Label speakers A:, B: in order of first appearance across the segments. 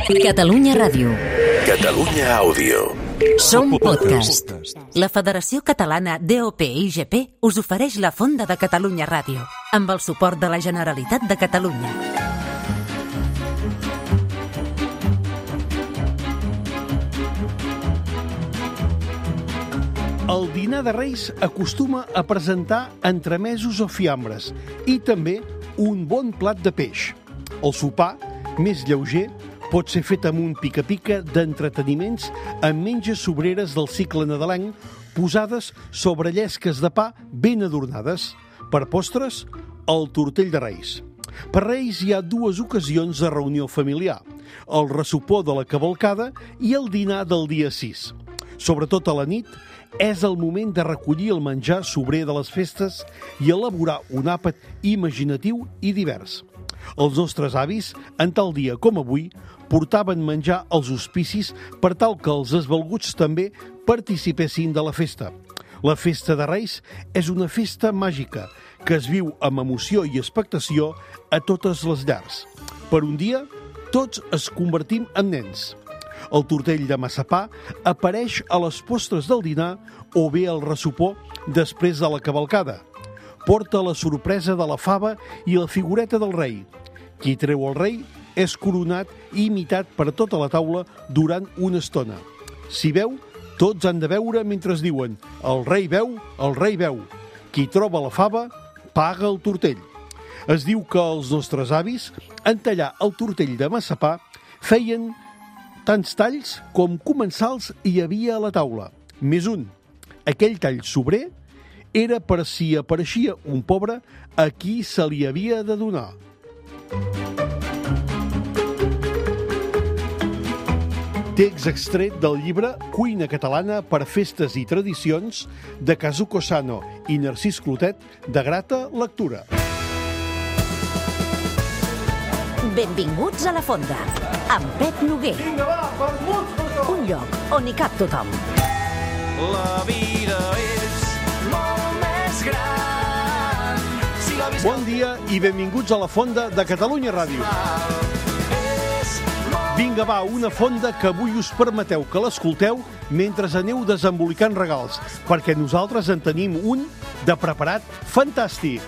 A: Catalunya Ràdio.
B: Catalunya Àudio.
A: Som podcast. La Federació Catalana DOP-IGP us ofereix la Fonda de Catalunya Ràdio, amb el suport de la Generalitat de Catalunya.
C: El dinar de Reis acostuma a presentar entremesos o fiambres i també un bon plat de peix. El sopar, més lleuger, pot ser fet amb un pica-pica d'entreteniments amb menges sobreres del cicle nadalenc posades sobre llesques de pa ben adornades. Per postres, el tortell de Reis. Per Reis hi ha dues ocasions de reunió familiar, el ressopó de la cavalcada i el dinar del dia 6. Sobretot a la nit, és el moment de recollir el menjar sobrer de les festes i elaborar un àpat imaginatiu i divers. Els nostres avis, en tal dia com avui, portaven menjar als hospicis per tal que els esvalguts també participessin de la festa. La festa de Reis és una festa màgica que es viu amb emoció i expectació a totes les llars. Per un dia, tots es convertim en nens. El tortell de massapà apareix a les postres del dinar o bé al ressopó després de la cavalcada. Porta la sorpresa de la fava i la figureta del rei. Qui treu el rei és coronat i imitat per tota la taula durant una estona. Si beu, tots han de beure mentre es diuen «El rei beu, el rei beu». Qui troba la fava, paga el tortell. Es diu que els nostres avis, en tallar el tortell de massapà, feien tants talls com comensals hi havia a la taula. Més un. Aquell tall sobrer era per si apareixia un pobre a qui se li havia de donar. Text extret del llibre Cuina catalana per festes i tradicions de Kazuko Sano i Narcís Clotet, de grata lectura.
A: Benvinguts a la Fonda, amb Pep Noguer. Un lloc on hi cap tothom.
D: La vida és molt més gran.
C: Bon dia i benvinguts a la Fonda de Catalunya Ràdio. Vinga, va, una fonda que avui us permeteu que l'escolteu mentre aneu desembolicant regals, perquè nosaltres en tenim un de preparat fantàstic.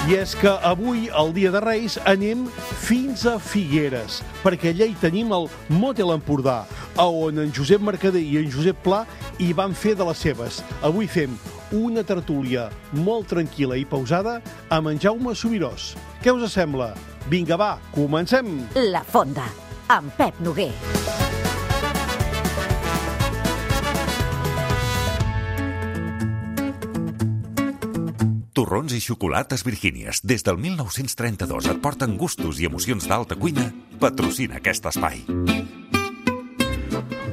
C: I és que avui, el dia de Reis, anem fins a Figueres, perquè allà hi tenim el Motel Empordà, on en Josep Mercader i en Josep Pla hi van fer de les seves. Avui fem una tertúlia molt tranquil·la i pausada amb en Jaume Subirós. Què us sembla? Vinga, va, comencem!
A: La Fonda, amb Pep Noguer.
B: Torrons i xocolates Virgínies, des del 1932 et porten gustos i emocions d'alta cuina, patrocina aquest espai.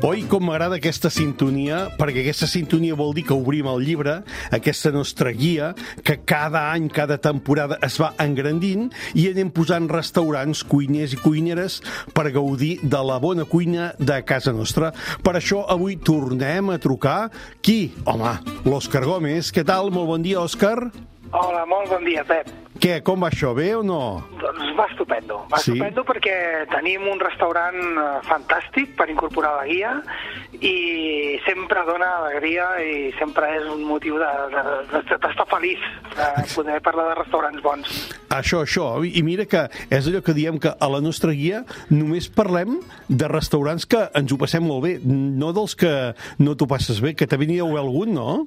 C: Oi, com m'agrada aquesta sintonia, perquè aquesta sintonia vol dir que obrim el llibre, aquesta nostra guia, que cada any, cada temporada es va engrandint i anem posant restaurants, cuiners i cuineres per gaudir de la bona cuina de casa nostra. Per això avui tornem a trucar. Qui? Home, l'Òscar Gómez. Què tal? Molt bon dia, Òscar.
E: Hola, molt bon dia, Pep.
C: Què, com va això? Bé o no?
E: Doncs va estupendo. Va estupendo perquè tenim un restaurant fantàstic per incorporar a la guia i sempre dona alegria i sempre és un motiu d'estar feliç de poder parlar de restaurants bons.
C: Això. I mira que és allò que diem que a la nostra guia només parlem de restaurants que ens ho passem molt bé, no dels que no t'ho passes bé, que també n'hi ha algun, no?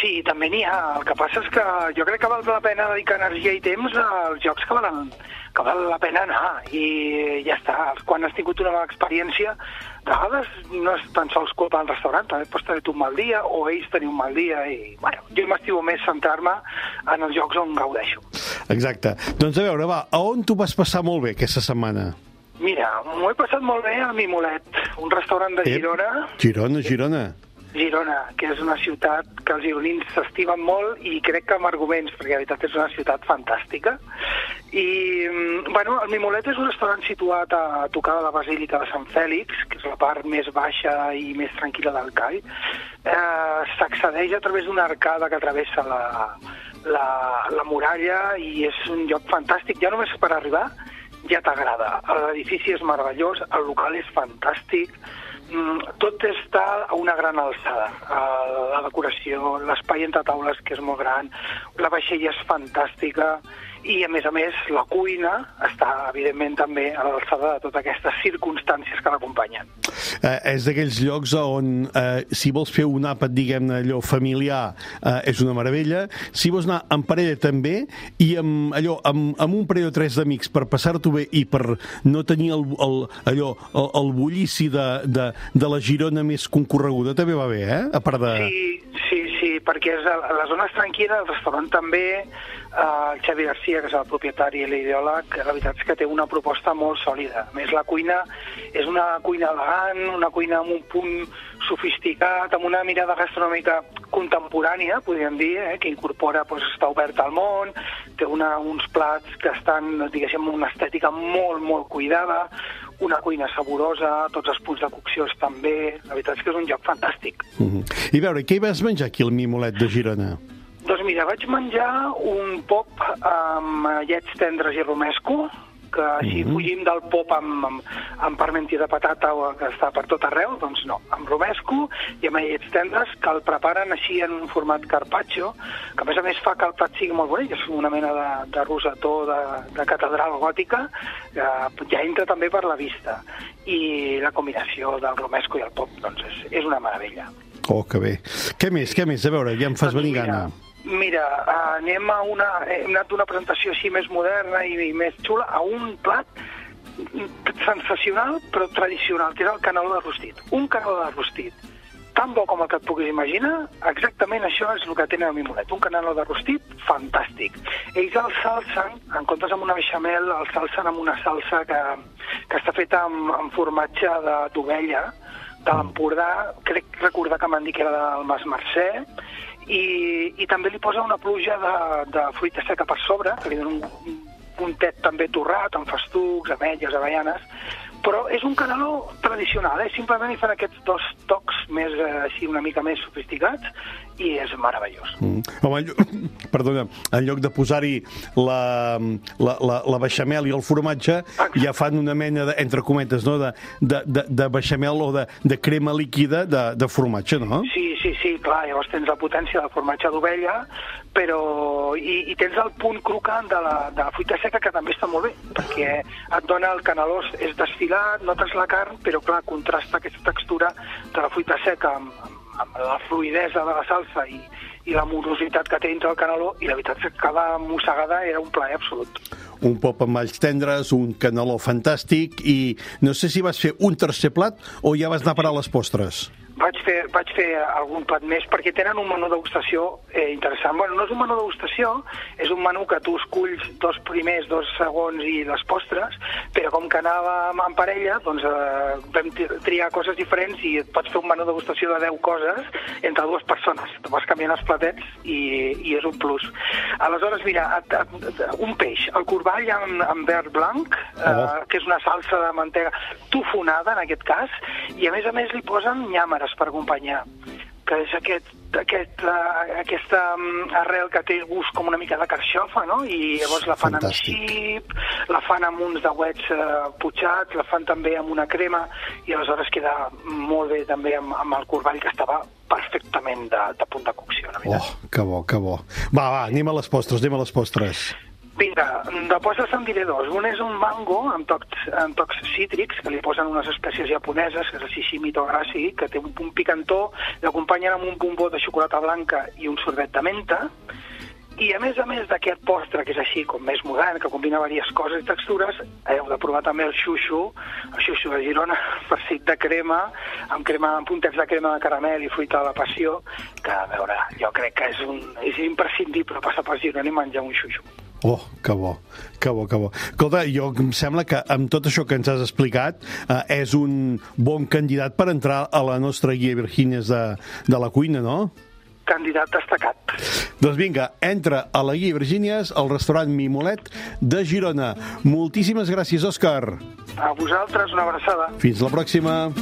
E: Sí, també n'hi ha. El que passa és que jo crec que val la pena dedicar energia i temps als llocs que val la pena anar. I ja està. Quan has tingut una mala experiència, de vegades no és tan sols culpa del restaurant, també pots tenir un mal dia o ells tenir un mal dia. I, bueno, jo m'estimo més centrar-me en els llocs on gaudeixo.
C: Exacte. Doncs a veure, va, a on t'ho vas passar molt bé aquesta setmana?
E: Mira, m'ho he passat molt bé al Mimolet, un restaurant de Girona. Girona, que és una ciutat que els gironins s'estimen molt i crec que amb arguments, perquè la veritat és una ciutat fantàstica. I, bueno, el Mimolet és un restaurant situat a tocar de la Basílica de Sant Fèlix, que és la part més baixa i més tranquil·la del call. S'accedeix a través d'una arcada que travessa la muralla i és un lloc fantàstic, ja només per arribar ja t'agrada. L'edifici és meravellós, el local és fantàstic, tot està a una gran alçada. La decoració, l'espai entre taules, que és molt gran, la vaixella és fantàstica, i a més, la cuina està, evidentment, també a l'alçada de totes aquestes circumstàncies que l'acompanyen.
C: És d'aquells llocs on, si vols fer un àpat, diguem-ne, allò familiar, és una meravella. Si vols anar en parella, també, i amb un parell o tres d'amics per passar-t'ho bé i per no tenir el bullici de la Girona més concorreguda, també va bé, a part de...
E: Sí, perquè la zona és tranquil·la, el restaurant també, el Xavi Garcia, que és el propietari i l'ideòleg, la veritat és que té una proposta molt sòlida. A més, la cuina és una cuina elegant, una cuina amb un punt sofisticat, amb una mirada gastronòmica contemporània, podríem dir, que incorpora, està oberta al món, té uns plats que estan, diguéssim, amb una estètica molt, molt cuidada, una cuina saborosa, tots els punts de cocció estan bé, la veritat és que és un lloc fantàstic.
C: I veure, què hi vas menjar aquí al Mimolet de Girona?
E: Doncs mira, vaig menjar un pop amb llets tendres i romesco, que si fugim del pop amb parmentier de patata que està per tot arreu, doncs no, amb romesco i amb llets tendres que el preparen així en un format carpaccio, que a més fa que el plat sigui molt bonic, és una mena de rosetó de catedral gòtica, que ja entra també per la vista. I la combinació del romesco i el pop, doncs és una meravella.
C: Oh, que bé. Què més? A veure, ja em fas venir gana.
E: Mira, hem anat d'una presentació així més moderna i més xula a un plat sensacional però tradicional, que és el caneló de rostit. Un caneló de rostit tan bo com el que et puguis imaginar, exactament això és el que tenen al Mimolet, un caneló de rostit fantàstic. Ells el salsen, en comptes amb una beixamel, el salsen amb una salsa que està feta amb formatge d'ovella, de l'Empordà, crec recordar que m'han dit que era del Mas Mercè, i també li posa una pluja de fruita seca per sobre, que li dona un puntet també torrat, amb festucs, ametlles, avellanes, però és un caneló tradicional, simplement hi fan aquests dos tocs més, així una mica més sofisticats, i és meravellós.
C: Home, perdona, en lloc de posar-hi la beixamel i el formatge, ja fan una mena, entre cometes, no? de beixamel o de crema líquida de formatge, no?
E: Sí, clar, llavors tens la potència del formatge d'ovella, però i tens el punt crocant de la fruita seca, que també està molt bé, perquè et dona el caneló, és desfilat, notes la carn, però clar, contrasta aquesta textura de la fruita seca amb la fluidesa de la salsa i la morositat que té dintre el caneló, i la veritat és que cada mossegada era un plaer absolut.
C: Un pop amb alls tendres, un caneló fantàstic, i no sé si vas fer un tercer plat o ja vas anar a parar les postres.
E: Vaig fer algun plat més, perquè tenen un menú degustació interessant. Bueno, no és un menú degustació, és un menú que tu esculls 2 primers, 2 segons i les postres, però com que anàvem en parella, doncs vam triar coses diferents i et pots fer un menú degustació de 10 coses entre 2 persones. Te vas canviant els platets i és un plus. Aleshores, mira, un peix, el corball amb verd blanc, que és una salsa de mantega tofonada, en aquest cas, i a més li posen llàmeres per acompanyar, que és aquesta arrel que té gust com una mica de carxofa, no? I llavors la fan amb xip, la fan amb uns dauets putxats, la fan també amb una crema, i aleshores queda molt bé també amb el corball, que estava perfectament de punt de cocció, la veritat.
C: Oh, que bo, que bo. Va, anem a les postres.
E: Vinga, de postres en diré 2. Un és un mango amb tocs cítrics, que li posen unes espècies japoneses, que és el shishimito grassi, que té un punt picantó, l'acompanyen amb un bombó de xocolata blanca i un sorbet de menta, i a més d'aquest postre, que és així com més modern, que combina diverses coses i textures, heu de provar també el xuxu de Girona, farcit de crema, amb puntets de crema de caramel i fruita de la passió, que, a veure, jo crec que és imprescindible passar per Girona i menjar un xuxu.
C: Oh, que bo. Escolta, jo em sembla que amb tot això que ens has explicat és un bon candidat per entrar a la nostra guia Virginies de la cuina, no?
E: Candidat destacat.
C: Doncs vinga, entra a la guia Virginies al restaurant Mimolet de Girona. Moltíssimes gràcies, Òscar.
E: A vosaltres, una abraçada.
C: Fins la pròxima.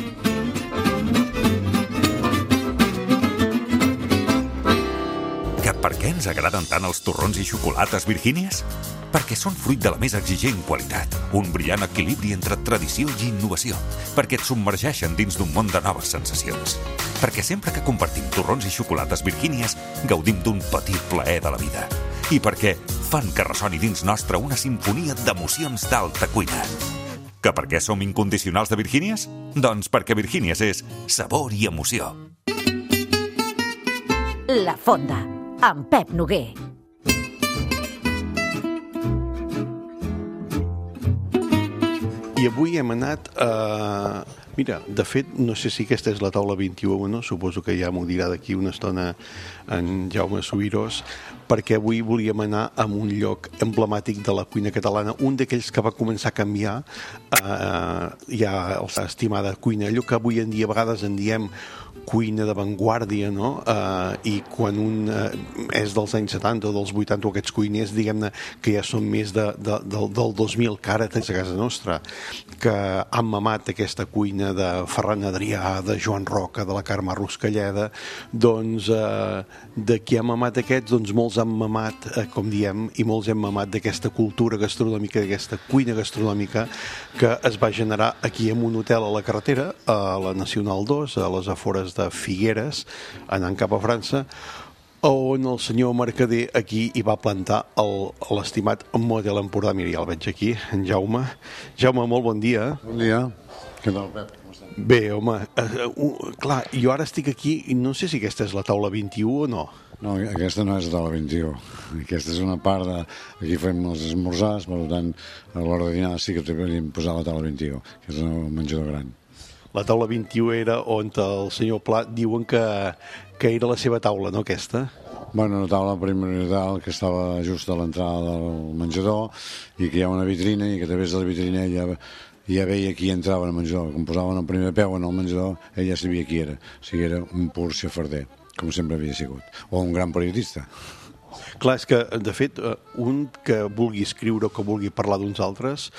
B: Per què ens agraden tant els torrons i xocolates Virgínies? Perquè són fruit de la més exigent qualitat, un brillant equilibri entre tradició i innovació, perquè et submergeixen dins d'un món de noves sensacions, perquè sempre que compartim torrons i xocolates Virgínies gaudim d'un petit plaer de la vida, i perquè fan que ressoni dins nostre una simfonia d'emocions d'alta cuina. Que per què som incondicionals de Virgínies? Doncs perquè Virgínies és sabor i emoció.
A: La Fonda, amb Pep Noguer.
C: I avui hem anat a... Mira, de fet, no sé si aquesta és la taula 21 o no, suposo que ja m'ho dirà d'aquí una estona en Jaume Subirós, perquè avui volíem anar a un lloc emblemàtic de la cuina catalana, un d'aquells que va començar a canviar ja l'estimada cuina, allò que avui en dia a vegades en diem cuina d'avantguàrdia, no? I quan un és dels anys 70 o dels 80 o aquests cuiners, diguem-ne, que ja són més del 2000, que ara tens a casa nostra, que han mamat aquesta cuina de Ferran Adrià, de Joan Roca, de la Carme Ruscalleda, doncs de qui ha mamat aquests, doncs molts han mamat, com diem, i molts hem mamat d'aquesta cultura gastronòmica, d'aquesta cuina gastronòmica que es va generar aquí en un hotel a la carretera, a la Nacional 2, a les afores de Figueres, anant cap a França, on el senyor Mercader aquí hi va plantar l'estimat Motel Empordà. Mira, ja el veig aquí, en Jaume. Jaume, molt bon dia.
F: Bon dia. Què tal, Pep? Com estàs?
C: Bé, home, clar, jo ara estic aquí i no sé si aquesta és la taula 21 o no.
F: No, aquesta no és la taula 21. Aquesta és una part de... Aquí fem els esmorzars, per tant, a l'hora de dinar sí que t'hem posat la taula 21, que és el menjador gran.
C: La taula 21 era on el senyor Pla diuen que era la seva taula, no aquesta?
F: Bueno, una taula primordial que estava just a l'entrada del menjador i que hi ha una vitrina i que a través de la vitrina ja veia qui entrava al menjador. Com posaven el primer peu en el menjador, ell ja sabia qui era. O sigui, era un pur xafarder, com sempre havia sigut. O un gran periodista.
C: Clar, és que, de fet, un que vulgui escriure o que vulgui parlar d'uns altres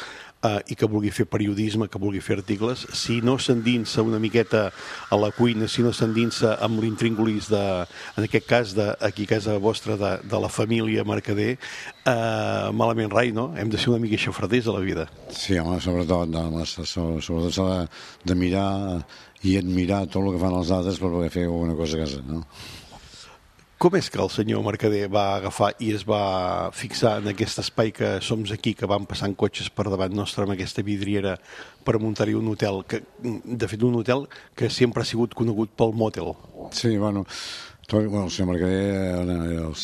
C: i que vulgui fer periodisme, que vulgui fer articles, si no s'endinsa una miqueta a la cuina, si no s'endinsa amb l'intríngulis en aquest cas, aquí a casa vostra, de la família Mercader, malament rai, no? Hem de ser una mica xafarders a la vida.
F: Sí, home, sobretot s'ha de mirar i admirar tot el que fan els altres per poder fer alguna cosa a casa, no?
C: Com és que el senyor Mercader va agafar i es va fixar en aquest espai que som aquí, que van passant cotxes per davant nostre amb aquesta vidriera per muntar-hi un hotel, de fet un hotel que sempre ha sigut conegut pel motel?
F: Sí, bueno, el senyor Mercader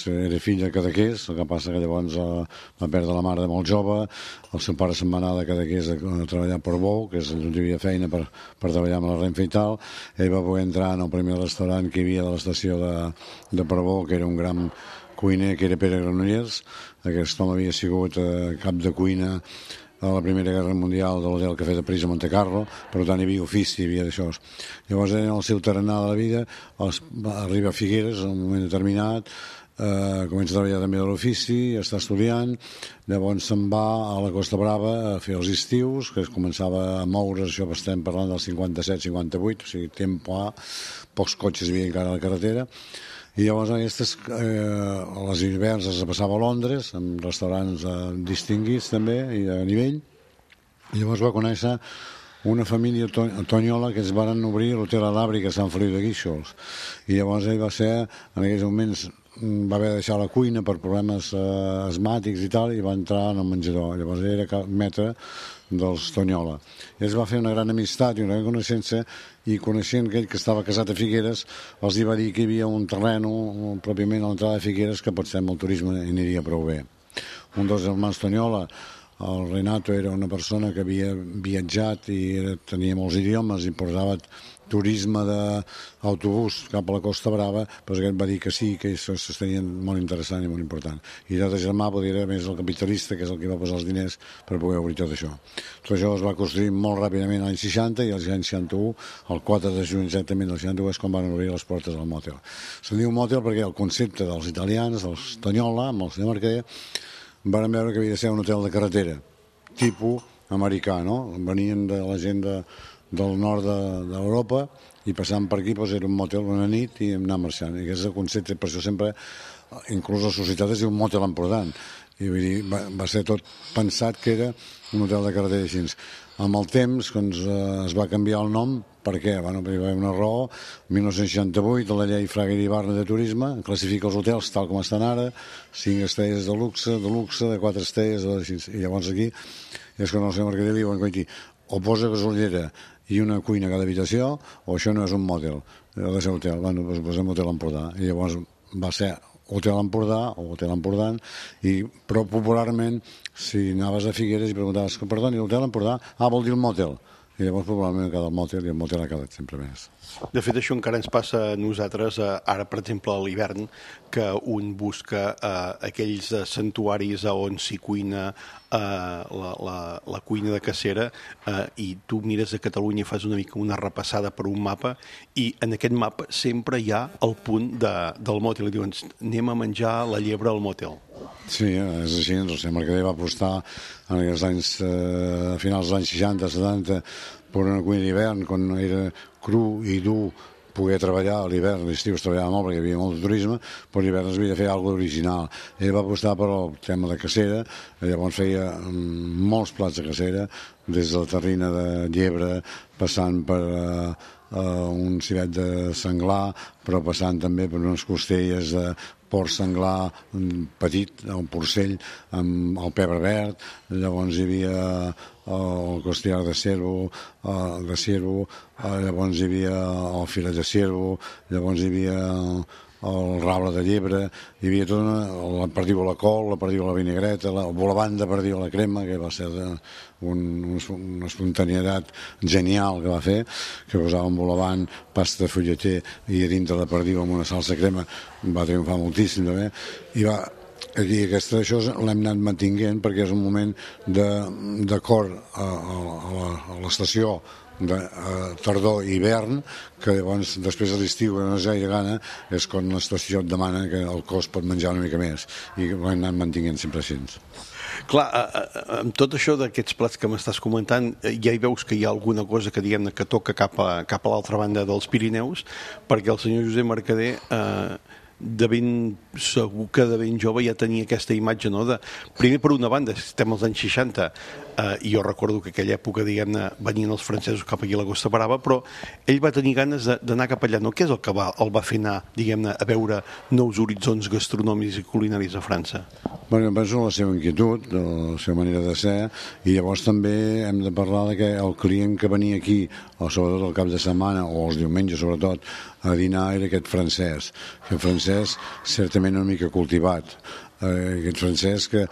F: era fill de Cadaqués, el que passa que llavors va perdre la mare de molt jove, el seu pare se'n va anar de Cadaqués a treballar per Bou, que és on hi havia feina per treballar amb la Renfe i tal. Ell va poder entrar en el primer restaurant que hi havia de l'estació de Portbou, que era un gran cuiner, que era Pere Granollers. Aquest home havia sigut cap de cuina a la Primera Guerra Mundial de l'Hotel Cafè de París a Montecarlo, per tant hi havia ofici, hi havia d'això. Llavors en el seu tarannà de la vida arriba a Figueres en un moment determinat, comença a treballar també de l'ofici, està estudiant, llavors se'n va a la Costa Brava a fer els estius, que es començava a moure's, això estem parlant del 57-58, o sigui, temps pla, pocs cotxes hi havia encara a la carretera, i llavors aquestes, a les hiverns es passava a Londres, amb restaurants distinguits també, i a nivell, i llavors va conèixer una família tonyola que es van obrir l'hotel a l'Àbric a Sant Feliu de Guíxols, i llavors ell va ser, en aquells moments, va haver de deixar la cuina per problemes asmàtics i tal, i va entrar en el menjador. Llavors ell era metre dels Tonyola. I es va fer una gran amistat i una gran coneixença, i coneixent aquell que estava casat a Figueres, els va dir que hi havia un terreno pròpiament a l'entrada de Figueres que potser amb el turisme aniria prou bé. Un dels germans Tonyola, el Renato, era una persona que havia viatjat i tenia molts idiomes i portava turisme d'autobús cap a la Costa Brava, però aquest va dir que sí, que això s'estenia molt interessant i molt important. I l'altre germà era més el capitalista, que és el que va posar els diners per poder obrir tot això. Tot això es va construir molt ràpidament l'any 60 i l'any 61, el 4 de juny exactament del 61, és quan van obrir les portes del motel. Se'n diu motel perquè el concepte dels italians, dels Tonyola, amb el senyor Mercader, van veure que havia de ser un hotel de carretera, tipus americà, no? Venien de la gent del nord d'Europa i passant per aquí era un motel una nit i anar marxant. I aquest és el concepte, per això sempre inclús la societat es diu Motel Empordà, i vull dir, va ser tot pensat que era un hotel de carretera així. Amb el temps, quan es va canviar el nom, per què? Bueno, perquè hi va haver una raó. En 1968, la llei Fraga i Ibarra de Turisme classifica els hotels tal com estan ara, 5 estrelles de luxe, de 4 estrelles, i llavors aquí és quan el senyor Mercader li diuen, o posa gasolera i una cuina a cada habitació, o això no és un motel, ha de ser hotel. Bueno, doncs posem Hotel Empordà. I llavors va ser Hotel Empordà o Hotel Empordà, però popularment, si anaves a Figueres i preguntaves, perdoni, l'Hotel Empordà? Vol dir el motel. I llavors probablement ha quedat el motel i el motel ha quedat sempre més.
C: De fet, això encara ens passa a nosaltres, ara, per exemple, a l'hivern, que un busca aquells santuaris on s'hi cuina la cuina de cacera, i tu mires a Catalunya i fas una mica una repassada per un mapa, i en aquest mapa sempre hi ha el punt del motel. I diuen, anem a menjar la llebre al motel.
F: Sí, és així. El senyor Mercader va apostar en aquests anys, a finals dels anys 60, 70, per una cuina d'hivern, quan era cru i dur poder treballar a l'hivern. L'estiu es treballava molt perquè hi havia molt de turisme, però l'hivern es havia de fer alguna cosa original. Ell va apostar per el tema de cacera, llavors feia molts plats de cacera, des de la terrina de llebre, passant per un civet de senglar, però passant també per unes costelles de porc senglar petit, un porcell amb el pebre verd, llavors hi havia el costillar de ciervo, llavors hi havia el filet de ciervo, llavors hi havia el rable de llebre, hi havia tota la perdiu a la col, la perdiu a la vinagreta, la bolavant de perdiu a la crema, que va ser una espontaneïtat genial que va fer, que posava un bolavant, pasta de fulleter i a dintre la perdiu amb una salsa crema, va triomfar moltíssim també, i aquí això l'hem anat mantinguent perquè és un moment d'acord a l'estació de tardor i hivern, que llavors després de l'estiu, que no és gaire gana, és quan l'estació et demana que el cos pot menjar una mica més, i ho hem anat mantinguent sempre així.
C: Clar, amb tot això d'aquests plats que m'estàs comentant, ja hi veus que hi ha alguna cosa que diguem-ne que toca cap a l'altra banda dels Pirineus, perquè el senyor Josep Mercader segur que de ben jove ja tenia aquesta imatge, no? Primer, per una banda, estem als anys 60, i jo recordo que aquella època, diguem-ne, venien els francesos cap aquí a la Costa Brava, però ell va tenir ganes d'anar cap allà, no? Què és el que el va fer anar, diguem-ne, a veure nous horitzons gastronòmics i culinaris a França?
F: Bueno, penso la seva inquietud, la seva manera de ser, i llavors també hem de parlar de que el client que venia aquí, o sobretot el cap de setmana, o els diumenges sobretot, a dinar era aquest francès, certament una mica cultivat, aquest francès que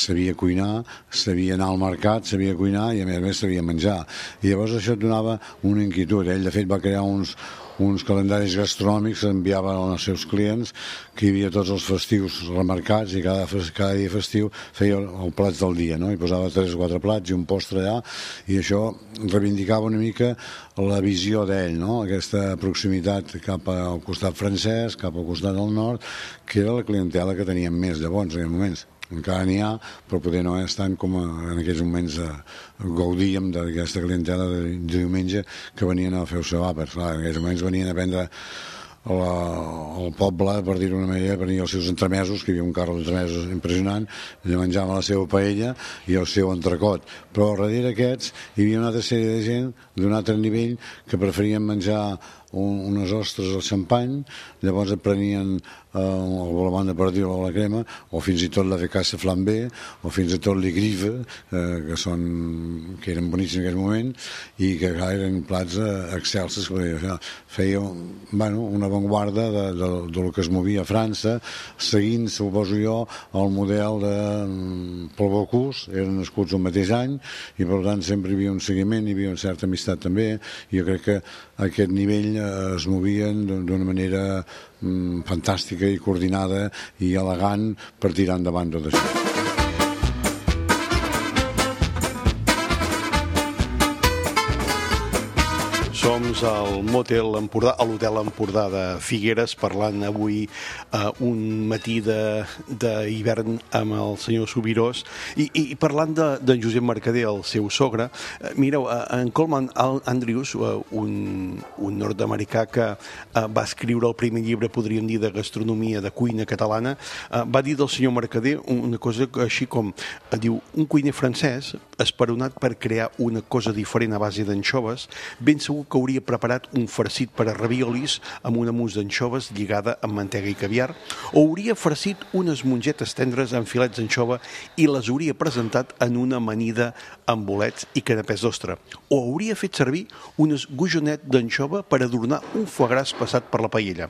F: sabia cuinar, sabia anar al mercat, sabia cuinar i a més sabia menjar, i llavors això et donava una inquietud. Ell de fet va crear uns calendaris gastronòmics que enviaven als seus clients, que hi havia tots els festius remarcats i cada dia festiu feia el plats del dia, no? I posava 3 o 4 plats i un postre allà, i això reivindicava una mica la visió d'ell, no? Aquesta proximitat cap al costat francès, cap al costat del nord, que era la clientela que teníem més llavors, en aquells moments. Encara n'hi ha, però poder no és tant com en aquells moments gaudíem d'aquesta clientela de diumenge que venien a fer el seu àpats. En aquells moments venien a prendre al poble, per dir-ho d'una manera, venien els seus entremesos, que hi havia un carro d'entremesos impressionant, i menjaven la seva paella i el seu entrecot. Però darrere aquests hi havia una altra sèrie de gent d'un altre nivell que preferien menjar unes ostres al xampany, llavors et prenien el volamant de perdiu a la crema, o fins i tot la fecassa flambé, o fins i tot l'igrive, que eren boníssims en aquell moment, i que eren plats excelsos. Feia una avantguarda del que es movia a França, seguint, suposo jo, el model de Paul Bocuse. Eren nascuts el mateix any, i per tant sempre hi havia un seguiment, hi havia una certa amistat també, i jo crec que a aquest nivell es movien d'una manera fantàstica i coordinada i elegant per tirar endavant tot això.
C: Som al Motel Empordà, a l'Hotel Empordà de Figueres, parlant avui un matí d'hivern amb el senyor Subirós i parlant d'en Josep Mercader, el seu sogre. Mireu, en Coleman Andrews, un nord-americà que va escriure el primer llibre, podríem dir, de gastronomia, de cuina catalana, va dir del senyor Mercader una cosa així com, diu, un cuiner francès esperonat per crear una cosa diferent a base d'anxoves, ben segur que hauria preparat un farcit per a raviolis amb una mousse d'anxoves lligada amb mantega i caviar, o hauria farcit unes mongetes tendres amb filets d'anxova i les hauria presentat en una amanida amb bolets i canapès d'ostra, o hauria fet servir unes gojonet d'anxova per adornar un foie gras passat per la paella,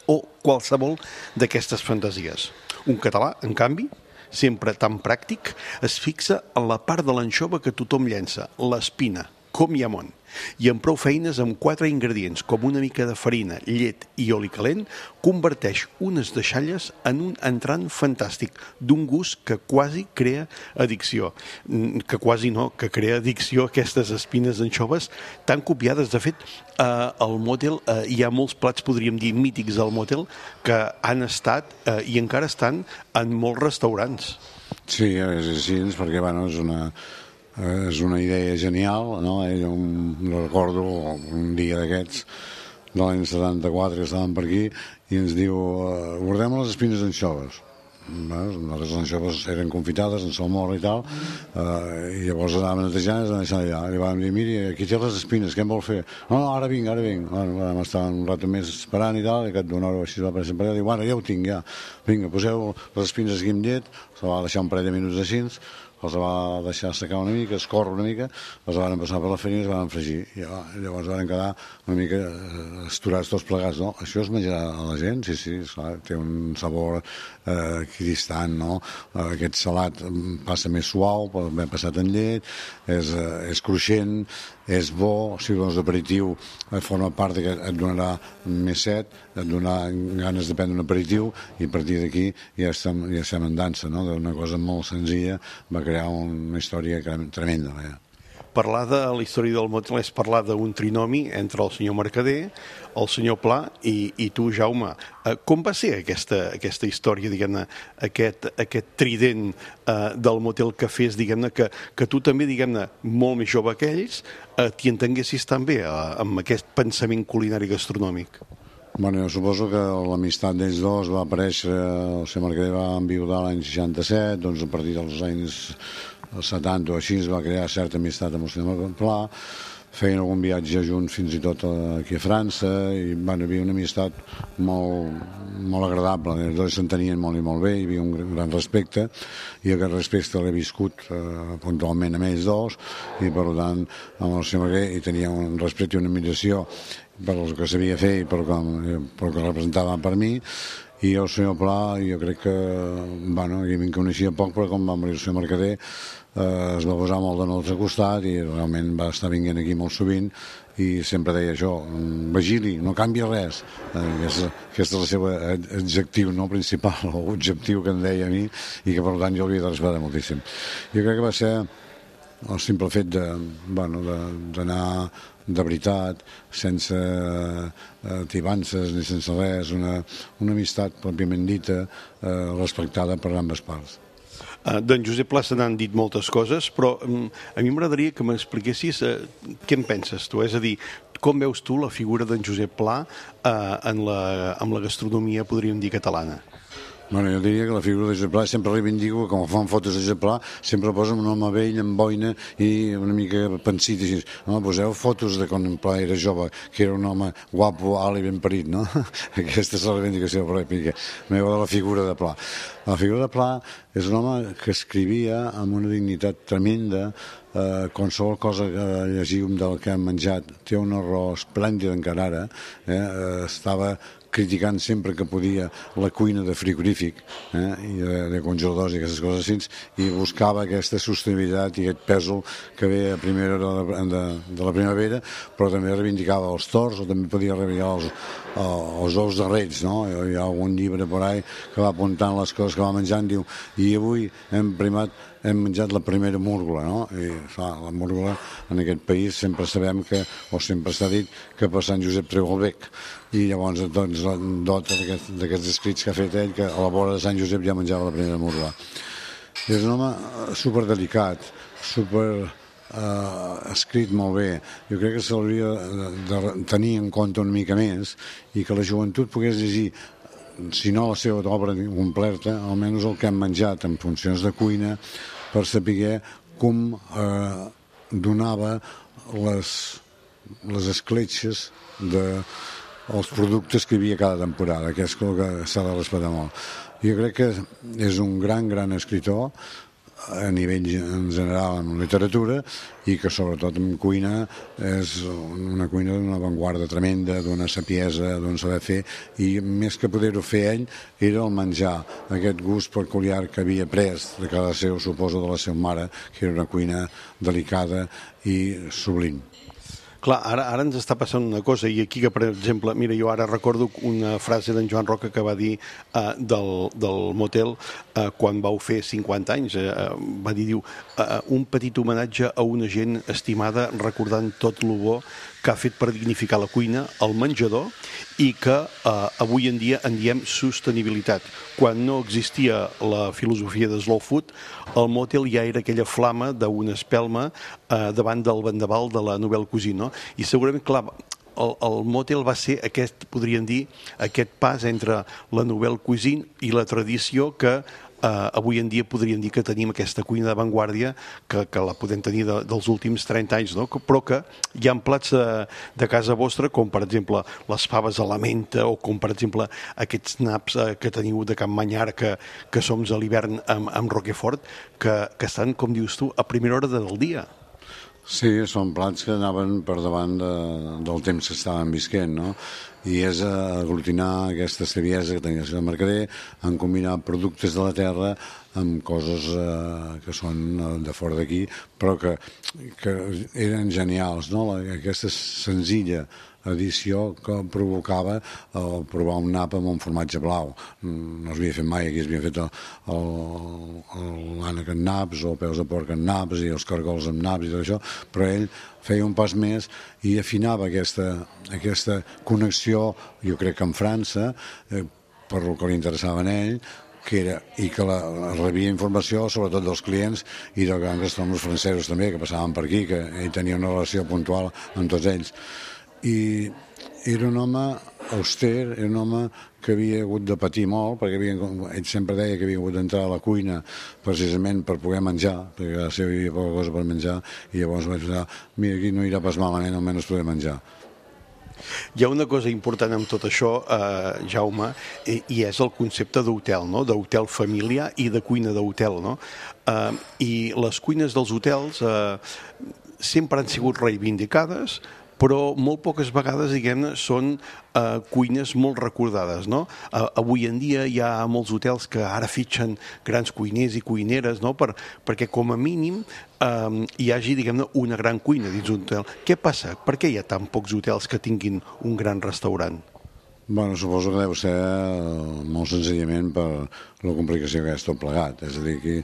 C: o qualsevol d'aquestes fantasies. Un català, en canvi, sempre tan pràctic, es fixa en la part de l'anxova que tothom llença, l'espina, com hi ha món. I amb prou feines, amb 4 ingredients, com una mica de farina, llet i oli calent, converteix unes deixalles en un entrant fantàstic, d'un gust que quasi crea addicció. Que quasi no, que crea addicció aquestes espines d'anxoves tan copiades. De fet, al Motel hi ha molts plats, podríem dir, mítics del Motel, que han estat i encara estan en molts restaurants.
F: Sí, és així, perquè bueno, és una idea genial, no? Jo recordo un dia d'aquests de l'any 74 que estàvem per aquí i ens diu, guardem les espines d'anxoves. Les anxoves eren confitades en salmorra i tal, i llavors anàvem netejant i ens deixant allà. I vam dir, miri, aquí té les espines, què em vol fer? No, ara vinc. Bueno, vam estar un rato més esperant i tal, i que d'una hora així va aparèixer per allà, diu, bueno, ja ho tinc, ja. Vinga, poseu les espines aquí amb llet, se va deixar un parell de minuts així, els va deixar assecar una mica, escórrer una mica, els van passar per la farina i els van fregir. I llavors van quedar una mica esturats tots plegats, no? Això es menjarà a la gent? Sí, esclar, té un sabor equidistant, no? Aquest salat passa més suau, pot haver passat en llet, és cruixent, és bo, si vols d'aperitiu forma part que et donarà més set, et donarà ganes de prendre un aperitiu i a partir d'aquí ja estem en dansa, no? D'una cosa molt senzilla va crear una història tremenda.
C: Parlar de la història del Motel és parlar d'un trinomi entre el senyor Mercader, el senyor Pla i tu, Jaume. Com va ser aquesta història, diguem-ne, aquest trident del Motel que fes, diguem-ne, que tu també, diguem-ne, molt més jove que ells, t'hi entenguessis tan bé amb aquest pensament culinari gastronòmic?
F: Bueno, jo suposo que l'amistat d'ells dos va aparèixer, el senyor Mercader va enviudar l'any 67, doncs a partir dels anys 70 o així es va crear certa amistat amb el senyor Pla, feien algun viatge junts fins i tot aquí a França i van haver una amistat molt agradable, els dos s'entenien molt i molt bé, hi havia un gran respecte i aquest respecte l'he viscut puntualment amb ells dos i per tant amb el senyor Mercader hi tenia un respecte i una admiració per el que sabia fer i per el que representava per mi i el senyor Pla jo crec que bueno, jo me'n coneixia poc però com va morir el senyor Mercader es va posar molt de nostre costat i realment va estar vinguent aquí molt sovint i sempre deia això, Vigili, no canvia res. Aquest és el seu adjectiu no principal, o objectiu que em deia a mi i que per tant jo l'havia de respectar moltíssim. Jo crec que va ser el simple fet d'anar de veritat, sense tibances ni sense res, una amistat pròpiament dita, respectada per ambes parts.
C: D'en Josep Pla se n'han dit moltes coses, però a mi m'agradaria que m'expliquessis què en penses tu, és a dir, com veus tu la figura d'en Josep Pla amb la gastronomia, podríem dir, catalana?
F: Bueno, jo diria que la figura de Josep Pla sempre reivindico que quan fan fotos de Josep Pla sempre posen un home vell amb boina i una mica pensit així. No, poseu fotos de quan Pla era jove, que era un home guapo, alt i ben parit, no? Aquesta és la reivindicació pròpia meva de la figura de Pla. La figura de Pla és un home que escrivia amb una dignitat tremenda, qualsevol cosa que llegim del que hem menjat té un error esplèndid encara ara, estava criticant sempre que podia la cuina de frigorífic i de congeladors i aquestes coses així, i buscava aquesta sostenibilitat i aquest pèsol que ve a primera hora de la primavera, però també reivindicava els tords o també podia reivindicar els ous de reig, no? Hi ha algun llibre per ahí que va apuntant les coses que va menjant, diu, I avui hem menjat la primera múrgola, no? I la múrgola en aquest país sempre sabem que, o sempre s'ha dit, que per Sant Josep treu el bec. I llavors doncs dota d'aquests escrits que ha fet ell, que a la vora de Sant Josep ja menjava la primera múrgola. És un home superdelicat, escrit molt bé. Jo crec que s'hauria de tenir en compte una mica més i que la joventut pogués llegir, si no la seva obra completa, almenys el que han menjat en funcions de cuina, per saber com donava les escletxes dels productes que hi havia cada temporada, que és el que s'ha de respectar molt. Jo crec que és un gran escriptor a nivell en general en literatura i que sobretot en cuina és una cuina d'una avantguarda tremenda, d'una sapiesa, d'un saber fer, i més que poder-ho fer ell era el menjar, aquest gust peculiar que havia pres de cada seu, suposo, de la seva mare, que era una cuina delicada i sublim.
C: Clar, ara ens està passant una cosa, i aquí que, per exemple, mira, jo ara recordo una frase d'en Joan Roca que va dir del motel quan vau fer 50 anys, va dir, diu, un petit homenatge a una gent estimada recordant tot lo bo que ha fet per dignificar la cuina, el menjador, i que avui en dia en diem sostenibilitat. Quan no existia la filosofia de slow food, el motel ja era aquella flama d'una espelma davant del vendaval de la Nouvelle Cuisine, no? I segurament, clar, el motel va ser podríem dir, aquest pas entre la Nouvelle Cuisine i la tradició que avui en dia podríem dir que tenim aquesta cuina d'avantguàrdia que la podem tenir dels últims 30 anys, no? Però que hi ha plats de casa vostra, com per exemple les faves a la menta, o com per exemple aquests naps que teniu de Can Manyar, que som a l'hivern amb Roquefort, que estan, com dius tu, a primera hora del dia.
F: Sí, són plats que anaven per davant del temps que estaven visquent, no? I és aglutinar aquesta saviesa que tenia el senyor Mercader en combinar productes de la terra amb coses que són de fora d'aquí, però que eren genials, no? Aquesta senzilla edició que provocava provar un nap amb un formatge blau. No s'havia fet mai, aquí s'havia fet l'ànec amb naps, o peus de porc amb naps, i els cargols amb naps i tot això, però ell feia un pas més i afinava aquesta connexió, jo crec que en França, per el que li interessava a ell, i que rebia informació sobretot dels clients i dels grans restaurants francesos també, que passaven per aquí, que ell tenia una relació puntual amb tots ells. I era un home auster, era un home que havia hagut de patir molt, perquè ell sempre deia que havia hagut d'entrar a la cuina precisament per poder menjar, perquè a la seva hi havia poca cosa per menjar, i llavors vaig pensar, mira, aquí no irà pas malament, almenys poder menjar.
C: Hi ha una cosa important amb tot això, Jaume, i és el concepte d'hotel, no? D'hotel familiar i de cuina d'hotel, no? I les cuines dels hotels sempre han sigut reivindicades, però molt poques vegades, diguem-ne, són cuines molt recordades, no? Avui en dia hi ha molts hotels que ara fitxen grans cuiners i cuineres, no? Perquè com a mínim hi hagi, diguem-ne, una gran cuina dins un hotel. Què passa? Per què hi ha tan pocs hotels que tinguin un gran restaurant?
F: Bueno, suposo que deu ser molt senzillament per la complicació que és tot plegat. És a dir, que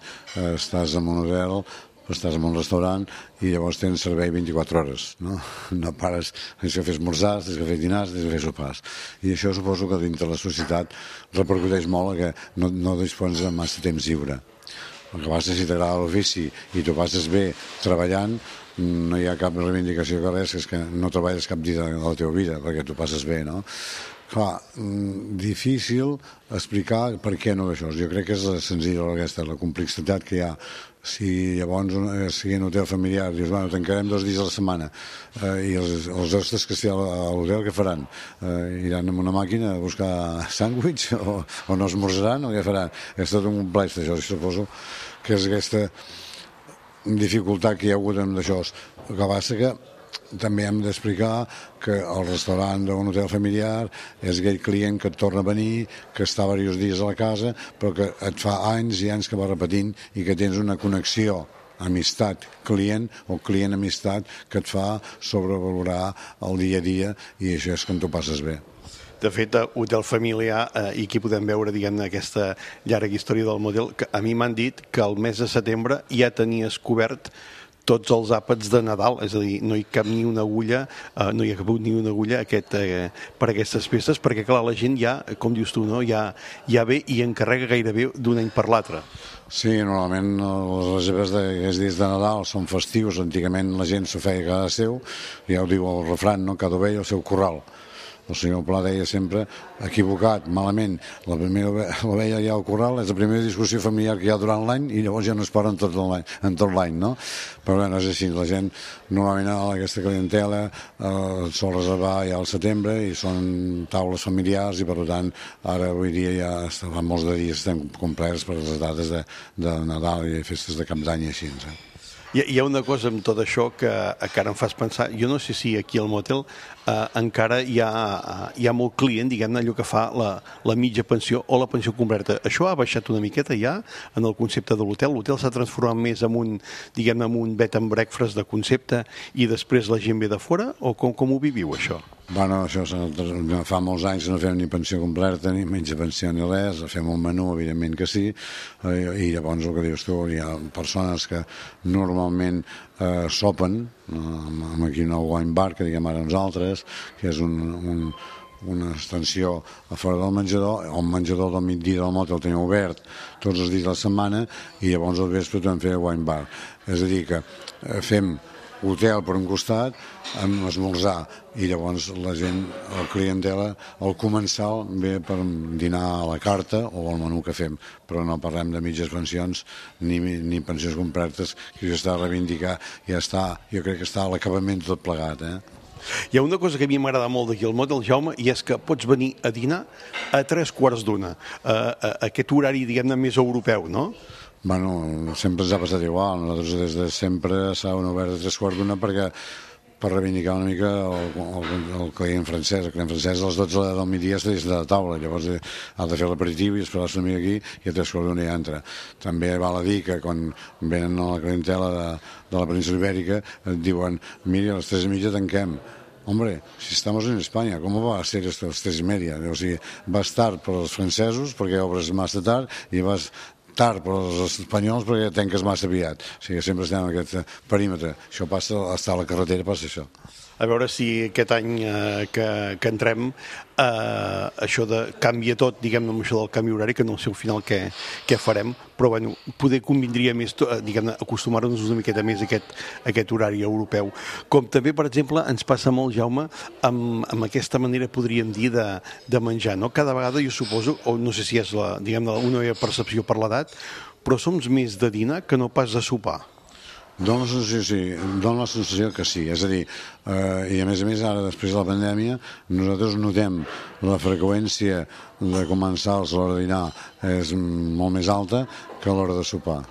F: estàs en un hotel, estàs en un restaurant i llavors tens servei 24 hores, no? No pares, tens que fer esmorzars, tens que fer dinars, tens que fer sopars. I això suposo que dintre la societat repercuteix molt que no dispons de massa temps lliure. El que passa, si t'agrada l'ofici i t'ho passes bé treballant, no hi ha cap reivindicació que res, és que no treballes cap dia de la teva vida perquè t'ho passes bé, no? Clar, difícil explicar per què no això. Jo crec que és senzilla la complexitat que hi ha. Si llavors sigui un hotel familiar, dius, bueno, tancarem 2 dies a la setmana, i els hostes que estiguin a l'hotel, què faran? Iran amb una màquina a buscar sàndwich o no esmorzaran o què faran? És tot un complex d'això, suposo que és aquesta dificultat que hi ha hagut amb d'això. El que passa que també hem d'explicar que el restaurant d'un hotel familiar és aquell client que et torna a venir, que està diversos dies a la casa, però que et fa anys i anys que va repetint i que tens una connexió amistat-client o client-amistat que et fa sobrevalorar el dia a dia, i això és quan t'ho passes bé.
C: De fet, Hotel Familiar, i aquí podem veure, diguem-ne, aquesta llarga història del motel, que a mi m'han dit que el mes de setembre ja tenies cobert tots els àpats de Nadal, és a dir, no hi cap ni una agulla, no hi ha cabut ni una agulla per aquestes festes, perquè clar, la gent ja, com dius tu, no? ja ve i encarrega gairebé d'un any per l'altre.
F: Sí, normalment les reserves d'aquests dies de Nadal són festius, antigament la gent s'ho feia a casa seu, ja ho diu el refrany, no? Cada ovella al seu corral. El senyor Pla deia sempre, equivocat, malament, la primera ovella ja al corral és la primera discussió familiar que hi ha durant l'any i llavors ja no es para en tot l'any, no? Però bé, no és així, la gent normalment aquesta clientela sol reservar ja al setembre i són taules familiars i per tant ara avui dia ja fa molts de dies estem complerts per les dates de Nadal i festes de Cap d'Any i així,
C: Hi ha una cosa amb tot això que encara em fas pensar, jo no sé si aquí al motel encara hi ha molt client, diguem-ne, allò que fa la mitja pensió o la pensió completa. Això ha baixat una miqueta ja en el concepte de l'hotel? L'hotel s'ha transformat més en un bed and breakfast de concepte i després la gent ve de fora? O com ho viviu, això?
F: Bueno, això fa molts anys que no fem ni pensió completa, ni mitja pensió ni res, fem un menú, evidentment que sí, i llavors el que dius tu, hi ha persones que normalment sopen aquí en el wine bar, que diguem ara nosaltres, que és una extensió a fora del menjador, el menjador del migdia del motel el tenim obert tots els dies de la setmana i llavors al vespre també fem wine bar. És a dir, que fem hotel per un costat, amb esmorzar, i llavors la gent, el clientela, el comensal ve per dinar a la carta o al menú que fem, però no parlem de mitges pensions ni pensions completes, que ja està a reivindicar, jo crec que està a l'acabament tot plegat,
C: Hi ha una cosa que a mi m'agrada molt d'aquí al motel, Jaume, i és que pots venir a dinar a 3:15, aquest horari, diguem-ne, més europeu, no?
F: Bueno, sempre ens ha passat igual. Nosaltres des de sempre s'han obert a 3:15 per reivindicar una mica el client francès. El client francès a les 12 del migdia està dins de la taula, llavors ha de fer l'aperitiu i esperar-se una mica aquí i a 3:15 ja entra. També val a dir que quan venen a la clientela de la península ibèrica et diuen, mira, a les 3:30 tanquem. Hombre, si estamos en España, ¿cómo va a ser esto a las 3:30? O sigui, vas tard per als francesos perquè obres massa tard i vas tard per als espanyols perquè tanques massa aviat. O sigui, sempre estem en aquest perímetre. Això passa, estar a la carretera passa això.
C: A veure si aquest any que entrem això canvia tot, diguem-ne, amb això del canvi horari, que no sé al final què farem, però bueno, poder convindria més, diguem-ne, acostumar-nos una miqueta més a aquest horari europeu. Com també, per exemple, ens passa molt, Jaume, amb aquesta manera, podríem dir, de menjar, no? Cada vegada, jo suposo, o no sé si és diguem-ne, una percepció per l'edat, però som més de dinar que no pas de sopar.
F: Dóna la sensació que sí, és a dir, i a més ara, després de la pandèmia, nosaltres notem la freqüència de comensals a l'hora de dinar és molt més alta que a l'hora de sopar.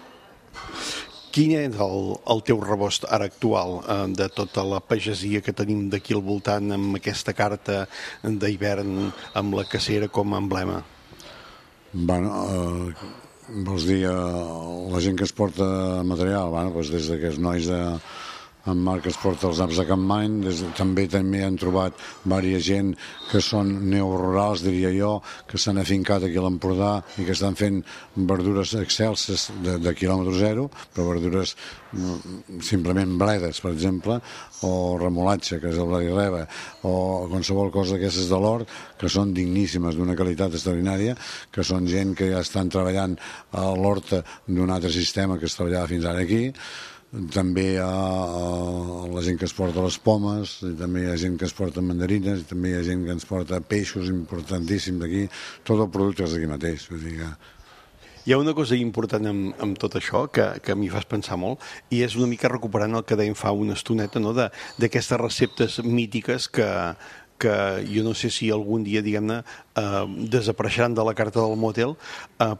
C: Quin és el teu rebost ara actual de tota la pagesia que tenim d'aquí al voltant amb aquesta carta d'hivern amb la cacera com a emblema?
F: Bueno, vols dir, la gent que es porta material, doncs des d'aquests nois en Marc que es porta els naps de Capmany, també han trobat diversa gent que són neorurals, diria jo, que s'han afincat aquí a l'Empordà i que estan fent verdures excelses de quilòmetre zero, però verdures simplement bledes, per exemple, o remolatge, que és el blat i reba, o qualsevol cosa d'aquestes de l'hort, que són digníssimes, d'una qualitat extraordinària, que són gent que ja estan treballant a l'horta d'un altre sistema que es treballava fins ara aquí. També hi ha la gent que es porta les pomes, i també hi ha gent que es porta mandarines, i també hi ha gent que ens porta peixos importantíssims d'aquí, tot el producte és d'aquí mateix.
C: Hi ha una cosa important amb tot això que a mi fas pensar molt, i és una mica recuperant el que dèiem fa una estoneta, no? D'aquestes receptes mítiques que jo no sé si algun dia, diguem-ne, desapareixeran de la carta del motel,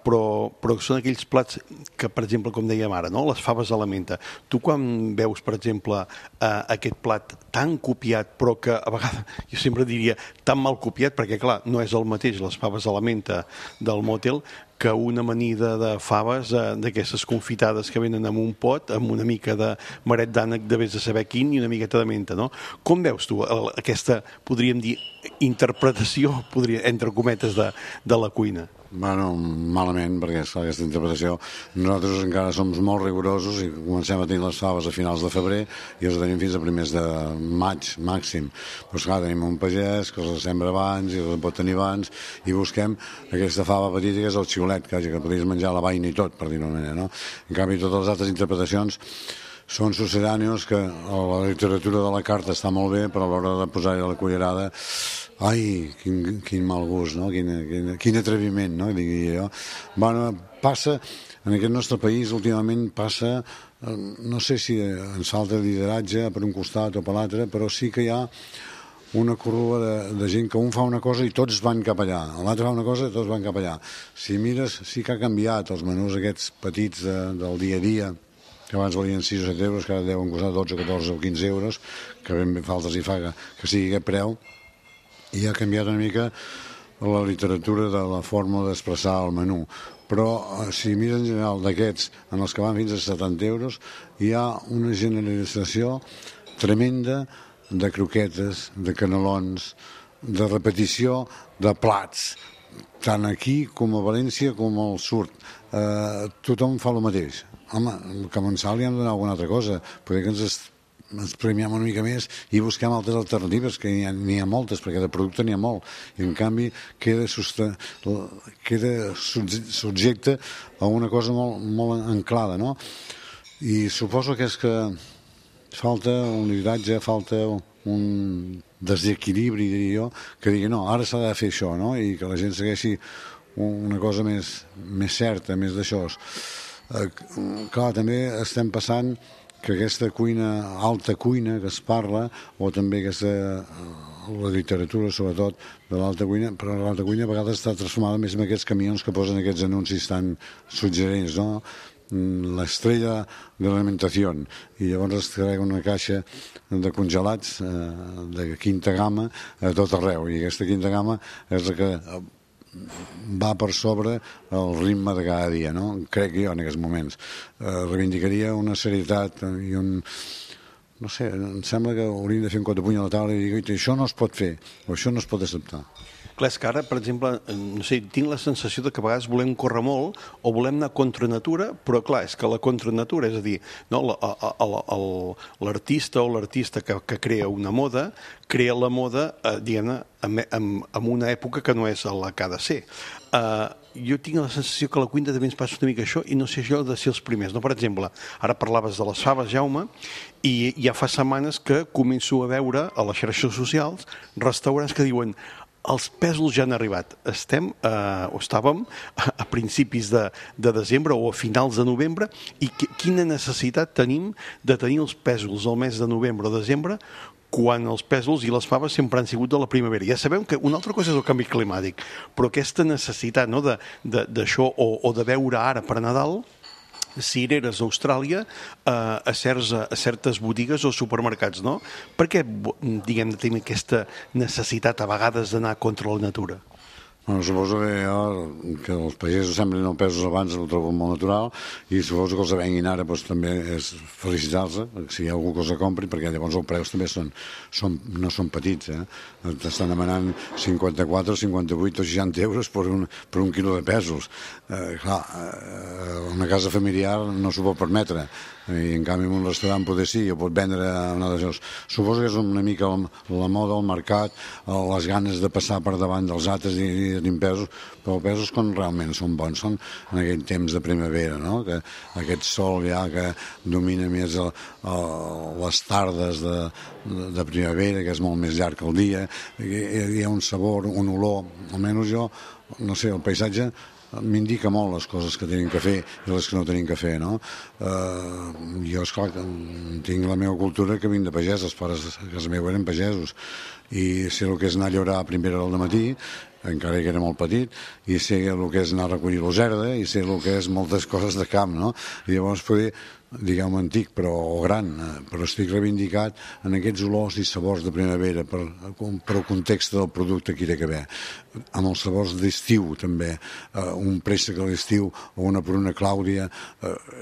C: però són aquells plats que, per exemple, com dèiem ara, no? Les faves a la menta. Tu quan veus, per exemple, aquest plat tan copiat, però que a vegades, jo sempre diria, tan mal copiat, perquè clar, no és el mateix les faves a la menta del motel que una amanida de faves, d'aquestes confitades que venen en un pot, amb una mica de maret d'ànec de vés de saber quin i una miqueta de menta, no? Com veus tu aquesta, podríem dir, interpretació, entre cometes, de la cuina?
F: Bueno, malament, perquè aquesta interpretació, nosaltres encara som molt rigorosos i comencem a tenir les faves a finals de febrer i els tenim fins a primers de maig, màxim. Però clar, tenim un pagès que els sembra abans i els pot tenir abans i busquem aquesta fava petita que és el xiulet, que podries menjar la vaina i tot, per dir-ho d'una manera, no? En canvi, totes les altres interpretacions són succedànios que la literatura de la carta està molt bé, però a l'hora de posar-hi la cullerada, ai, quin mal gust, no? Quin atreviment, no? Digui jo. Bueno, passa, en aquest nostre país últimament passa, no sé si ens falta lideratge per un costat o per l'altre, però sí que hi ha una corrua de gent que un fa una cosa i tots van cap allà, l'altre fa una cosa i tots van cap allà. Si mires, sí que ha canviat els menús aquests petits del dia a dia, que abans valien 6 o 7 euros, que ara deuen costar 12, 14 o 15 euros, que ben faltes hi fa que sigui aquest preu, i ha canviat una mica la literatura de la forma d'expressar el menú. Però si mires en general d'aquests, en els que van fins a 70 euros, hi ha una generalització tremenda de croquetes, de canelons, de repetició de plats, tant aquí com a València com al sud. Tothom fa el mateix. Home, el comensal li han de donar alguna altra cosa. Poder que ens premiem una mica més i busquem altres alternatives, que n'hi ha moltes, perquè de producte n'hi ha molt. I en canvi queda subjecte a una cosa molt anclada, no? I suposo que és que falta un lideratge, falta un desequilibri, diria jo, que digui, no, ara s'ha de fer això, no? I que la gent segueixi una cosa més certa, més d'això. Clar, també estem passant que aquesta cuina, alta cuina que es parla, o també la literatura sobretot de l'alta cuina, però l'alta cuina a vegades està transformada més en aquests camions que posen aquests anuncis tan suggerents, no? L'estrella de l'alimentació, i llavors es treu una caixa de congelats de quinta gamma a tot arreu, i aquesta quinta gamma és la que va per sobre el ritme de cada dia, no? Crec jo en aquests moments. Reivindicaria una serietat i un... No sé, em sembla que hauríem de fer un cop de puny a la taula i dir, això no es pot fer, o això no es pot acceptar.
C: Clar, és que ara, per exemple, no sé, tinc la sensació de que a vegades volem córrer molt o volem anar contra natura, però clar, és que la contra natura, és a dir, no, l'artista o l'artista que crea una moda, crea la moda, diguem-ne, en una època que no és la que ha de ser. Jo tinc la sensació que a la cuina també ens passa una mica això i no sé jo de ser els primers. No? Per exemple, ara parlaves de les faves, Jaume, i ja fa setmanes que començo a veure a les xarxes socials restaurants que diuen els pèsols ja han arribat. Estàvem a principis de desembre o a finals de novembre i quina necessitat tenim de tenir els pèsols al mes de novembre o desembre quan els pèsols i les faves sempre han sigut de la primavera. Ja sabem que una altra cosa és el canvi climàtic, però aquesta necessitat, no, d'això o de veure ara per Nadal cireres a Austràlia a certes botigues o supermercats, no? Per què, diguem, tenim aquesta necessitat a vegades d'anar contra la natura?
F: Bueno, suposo que els pagesos semblen els pesos abans, ho trobo molt natural, i suposo que els venguin ara doncs, també és felicitar-se, si hi ha algú que els compri, perquè llavors els preus també no són petits, t'estan demanant 54, 58 o 60 euros per un quilo de pèsols. Clar, una casa familiar no s'ho pot permetre, i en canvi en un restaurant poder sí, o pot vendre una de les... Suposo que és una mica la moda, el mercat, les ganes de passar per davant dels altres i tenir pesos, però pesos quan realment són bons, són en aquell temps de primavera, no? Que aquest sol ja que domina més les tardes de primavera, que és molt més llarg que el dia, hi ha un sabor, un olor, almenys jo, no sé, el paisatge m'indica molt les coses que tenim que fer i les que no tenim que fer, no? Jo, esclar, tinc la meva cultura que vinc de pagès, els pares a casa meva eren pagesos, i sé el que és anar a llorar a primera hora del matí, encara que era molt petit, i sé el que és anar a recollir l'oserda, i sé el que és moltes coses de camp, no? I llavors poder diguem antic, però gran, però estic reivindicat en aquests olors i sabors de primavera per el context del producte que hi ha d'haver. Amb els sabors d'estiu també, un préssec a l'estiu o una pruna clàudia,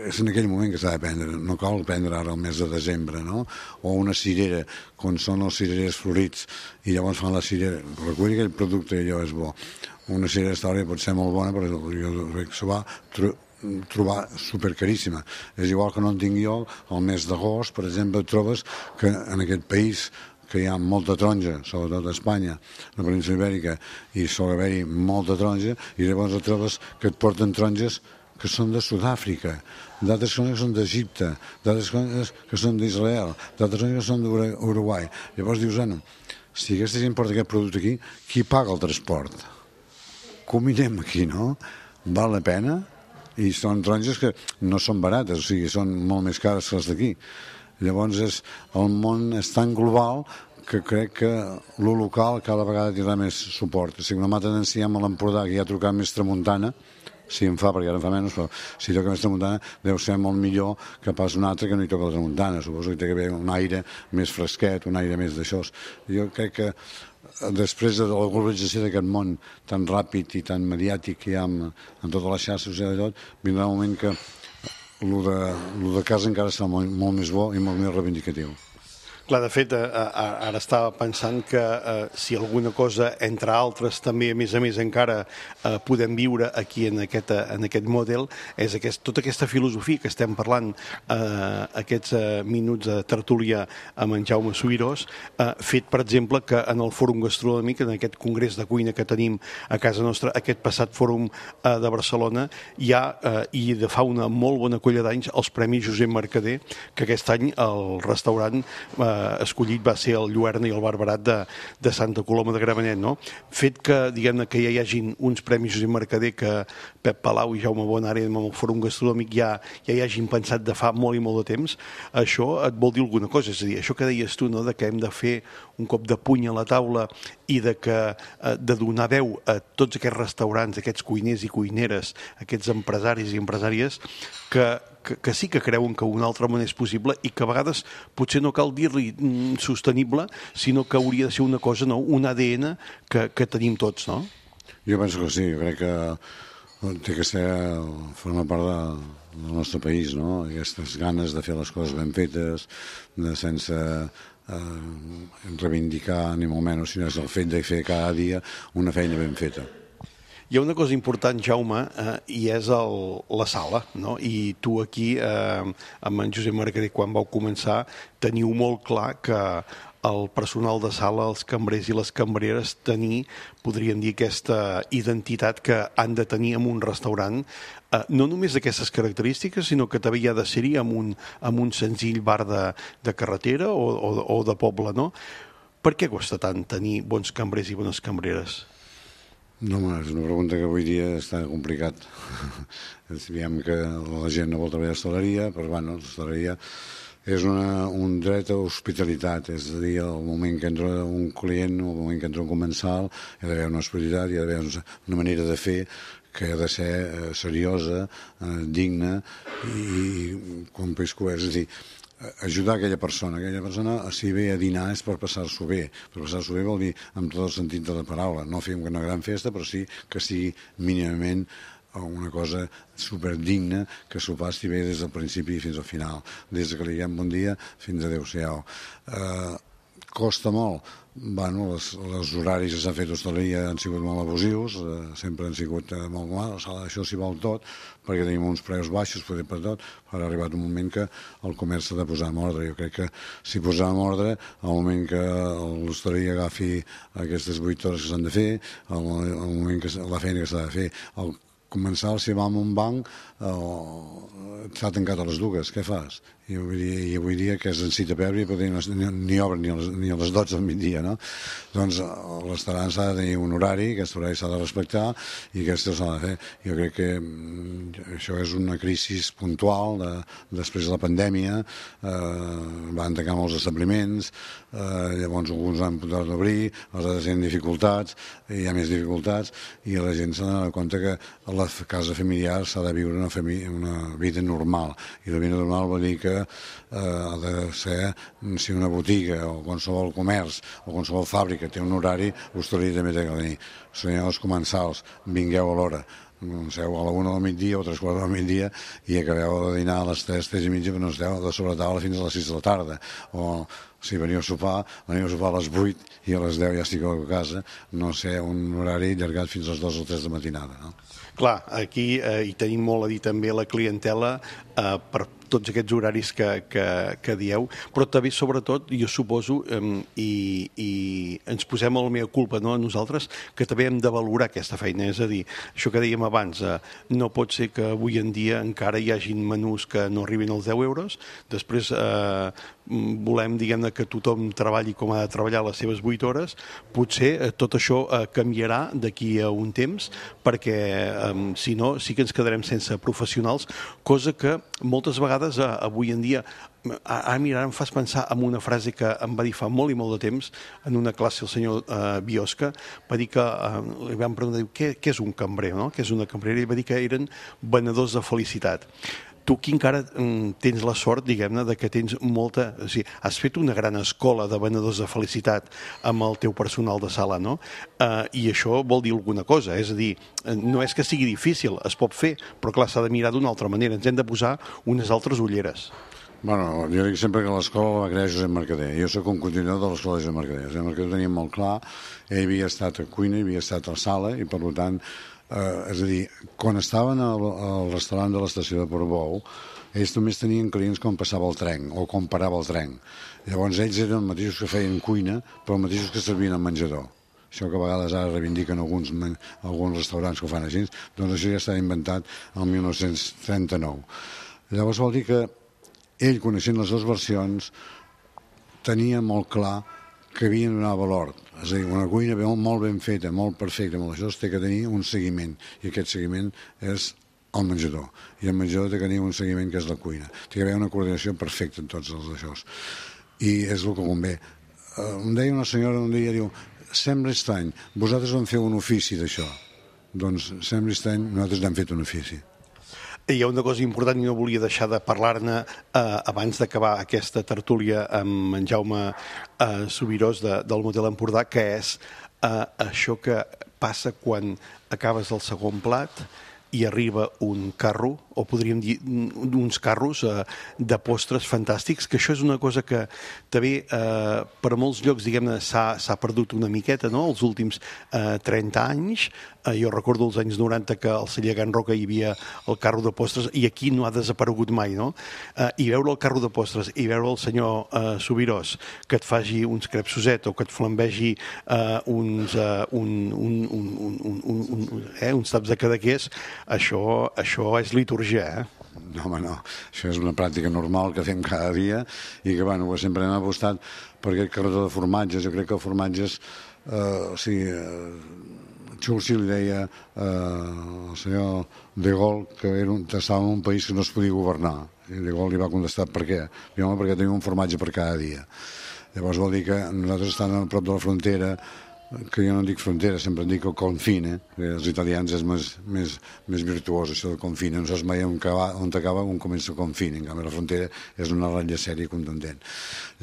F: és en aquell moment que s'ha de prendre, no cal prendre ara el mes de desembre, no? O una cirera, quan són els cirerers florits i llavors fan la cirera, recull aquell producte i allò és bo. Una cirera història pot ser molt bona, però jo crec que s'ho va trobar supercaríssima. És igual que no en tinc jo, al mes d'agost, per exemple, trobes que en aquest país que hi ha molta taronja, sobretot a Espanya, la península Ibèrica, i sol haver-hi molta taronja, i llavors et trobes que et porten taronges que són de Sud-àfrica, d'altres que són d'Egipte, d'altres que són d'Israel, d'altres que són d'Uruguai. Llavors dius, si aquesta gent porta aquest producte aquí, qui paga el transport? Cominem aquí, no? Val la pena? I són taronges que no són barates, o sigui, són molt més cares que les d'aquí. Llavors el món és tan global que crec que lo local cada vegada tindrà més suport. Si una mà tendenciem a l'Empordà, que ja ha trucat més tramuntana, si en fa, perquè ara en fa menys, però si toca més tramuntana deu ser molt millor que pas un altre que no hi toca la tramuntana. Suposo que té que haver un aire més fresquet, un aire més d'això. Jo crec que després de la globalització d'aquest món tan ràpid i tan mediàtic que hi ha en totes les xarxes i tot, vindrà un moment que el de casa encara serà molt més bo i molt més reivindicatiu.
C: Clar, de fet, ara estava pensant que si alguna cosa, entre altres, també, a més encara podem viure aquí en aquest model, és tota aquesta filosofia que estem parlant aquests minuts de tertúlia amb en Jaume Subirós, fet, per exemple, que en el Fòrum Gastronòmic, en aquest congrés de cuina que tenim a casa nostra, aquest passat Fòrum de Barcelona, hi ha, i de fa una molt bona colla d'anys, els Premis Josep Mercader, que aquest any el restaurant escollit va ser el Lluerna i el Barberat de Santa Coloma de Gramenet, no? Fet que, diguem-ne, que ja hi hagin uns Premis Josep Mercader que Pep Palau i Jaume Bonari amb el Fòrum Gastronòmic ja hi hagin pensat de fa molt i molt de temps, això et vol dir alguna cosa, és a dir, això que deies tu, no?, de que hem de fer un cop de puny a la taula i de donar veu a tots aquests restaurants, aquests cuiners i cuineres, aquests empresaris i empresàries que sí que creuen que una altra manera és possible i que a vegades potser no cal dir-li sostenible, sinó que hauria de ser una cosa, no? Un ADN que tenim tots, no?
F: Jo penso que sí, jo crec que té que formar part del nostre país, no? Aquestes ganes de fer les coses ben fetes, sense reivindicar ni molt menys, sinó és el fet de fer cada dia una feina ben feta.
C: Hi ha una cosa important, Jaume, i és la sala, no? I tu aquí, amb en Josep Mercader, quan vau començar, teniu molt clar que el personal de sala, els cambrers i les cambreres, podríem dir, aquesta identitat que han de tenir en un restaurant, no només d'aquestes característiques, sinó que també hi ha de ser-hi amb un senzill bar de carretera o de poble, no? Per què costa tant tenir bons cambrers i bones cambreres?
F: No, és una pregunta que avui dia està complicat. Diem que la gent no vol treballar a l'hostaleria, però bueno, l'hostaleria és un dret a hospitalitat, és a dir, el moment que entra un client, el moment que entra un comensal, hi ha d'haver una hospitalitat, hi ha d'haver una manera de fer que ha de ser seriosa, digna i com peix cobert, és a dir, ajudar aquella persona, si ve a dinar és per passar-s'ho bé. Per passar-s'ho bé vol dir amb tot el sentit de la paraula, no fer una gran festa, però sí que sigui mínimament una cosa superdigna que s'ho passi bé des del principi fins al final, des que li diguem bon dia fins a adéu-siau. Costa molt. Bueno, els horaris que s'han fet d'hostaleria han sigut molt abusius, sempre han sigut molt mal, això s'hi val tot, perquè tenim uns preus baixos, poder per tot, però ha arribat un moment que el comerç s'ha de posar en ordre. Jo crec que si posar en ordre, al moment que l'hostaleria agafi aquestes 8 hores que s'han de fer, al moment que la feina que s'ha de fer, el comensal, si va a un banc, s'ha tancat a les dues, què fas? I avui dia que és en cita prèvia ni obren ni a les 12 del migdia, no? Doncs el restaurant s'ha de tenir un horari, aquest horari s'ha de respectar i aquest s'ha de fer. Jo crec que això és una crisi puntual després de la pandèmia, van tancar molts establiments, llavors alguns han pogut obrir, els altres tenen dificultats, hi ha més dificultats i la gent s'ha de donar compte que la casa familiar s'ha de viure una vida normal, i la vida normal vol dir que ha de ser, si una botiga o qualsevol comerç o qualsevol fàbrica té un horari, l'hostaleria també té que tenir. Senyors comensals, vingueu a l'hora, comenceu a la 1 del migdia o 3 quarts del migdia i acabeu de dinar a les 3, 3 i mitja, però no esteu de sobretaula fins a les 6 de la tarda. O si veniu a sopar a les 8 i a les 10 ja estigueu a casa, no sé, un horari allargat fins a les 2 o 3 de matinada, no?
C: Clar, aquí hi tenim molt a dir també la clientela per tots aquests horaris que dieu, però també, sobretot, jo suposo, i ens posem a la meva culpa, no, a nosaltres, que també hem de valorar aquesta feina. És a dir, això que dèiem abans, no pot ser que avui en dia encara hi hagin menús que no arribin als 10 euros, després volem, diguem-ne, que tothom treballi com ha de treballar les seves 8 hores, potser tot això canviarà d'aquí a un temps, perquè si no, sí que ens quedarem sense professionals, cosa que moltes vegades avui en dia, mira, em fas pensar en una frase que em va dir fa molt i molt de temps en una classe el senyor Biosca. Va dir que li vam preguntar, què és un cambrer, no? Què és una cambrera? I va dir que eren venedors de felicitat. Tu aquí encara tens la sort, diguem-ne, de que tens molta... O sigui, has fet una gran escola de venedors de felicitat amb el teu personal de sala, no? I això vol dir alguna cosa. És a dir, no és que sigui difícil, es pot fer, però clar, s'ha de mirar d'una altra manera. Ens hem de posar unes altres ulleres.
F: Bueno, jo dic sempre que l'escola la va crear Josep Mercader. Jo soc un continuador de l'escola de Josep Mercader. Josep Mercader ho tenia molt clar, ell havia estat a cuina, havia estat a sala, i per tant... és a dir, quan estaven al restaurant de l'estació de Portbou, ells només tenien clients quan passava el tren o quan parava el tren. Llavors ells eren els mateixos que feien cuina, però els mateixos que servien al menjador. Això que a vegades ara reivindiquen alguns restaurants que ho fan així, doncs això ja està inventat el 1939. Llavors vol dir que ell, coneixent les dues versions, tenia molt clar que havien de donar valor. És a dir, una cuina molt ben feta, molt perfecta, molt això, té que tenir un seguiment, i aquest seguiment és el menjador. I el menjador té que tenir un seguiment que és la cuina. Té que haver una coordinació perfecta en tots els d'això. I és el que convé. Em deia una senyora un dia, diu, sembla estrany, vosaltres vam fer un ofici d'això. Doncs sembla estrany, nosaltres n'hem fet un ofici.
C: Hi ha una cosa important i no volia deixar de parlar-ne abans d'acabar aquesta tertúlia amb en Jaume Subirós del Motel Empordà, que és això que passa quan acabes el segon plat i arriba un carro, o podríem dir uns carros de postres fantàstics, que això és una cosa que també per a molts llocs, diguem-ne, s'ha perdut una miqueta, no?, els últims 30 anys. Jo recordo els anys 90 que al celler Can Roca hi havia el carro de postres i aquí no ha desaparegut mai, no? I veure el carro de postres i veure el senyor Subirós que et faci uns crepsoset o que et flambegi uns taps de cadaqués, això és litúrgia,
F: No, home, no. Això és una pràctica normal que fem cada dia i que, bueno, sempre hem apostat per aquest carretó de formatges. Jo crec que els formatges, Churchill li deia al senyor de Gaulle que estava en un país que no es podia governar. I de Gaulle li va contestar per què. Diu, home, perquè tenim un formatge per cada dia. Llavors vol dir que nosaltres estem a prop de la frontera, que jo no dic frontera, sempre en dic el confine, els italians és més virtuós, això del confine, no saps mai on acaba, on comença el confine, en canvi la frontera és una ratlla sèria i contundent.